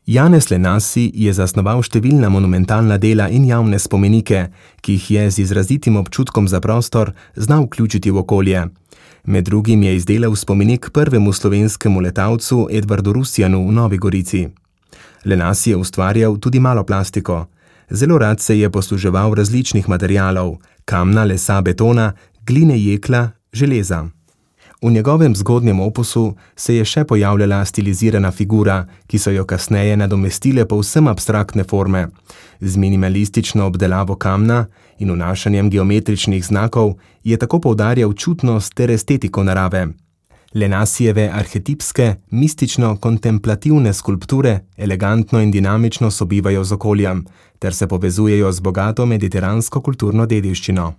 Janez Lenasi je zasnoval številna monumentalna dela in javne spomenike, ki jih je z izrazitim občutkom za prostor znal vključiti v okolje. Med drugim je izdelal spomenik prvemu slovenskemu letalcu Edvardu Rusjanu v Novi Gorici. Lenasi je ustvarjal tudi malo plastiko. Zelo rad se je posluževal različnih materialov: kamna, lesa, betona, gline, jekla, železa. V njegovem zgodnjem opusu se je še pojavljala stilizirana figura, ki so jo kasneje nadomestile povsem abstraktne forme. Z minimalistično obdelavo kamna in vnašanjem geometričnih znakov je tako poudarjal čutnost ter estetiko narave. Lenasijeve arhetipske, mistično-kontemplativne skulpture elegantno in dinamično sobivajo z okoljem ter se povezujejo z bogato mediteransko kulturno dediščino.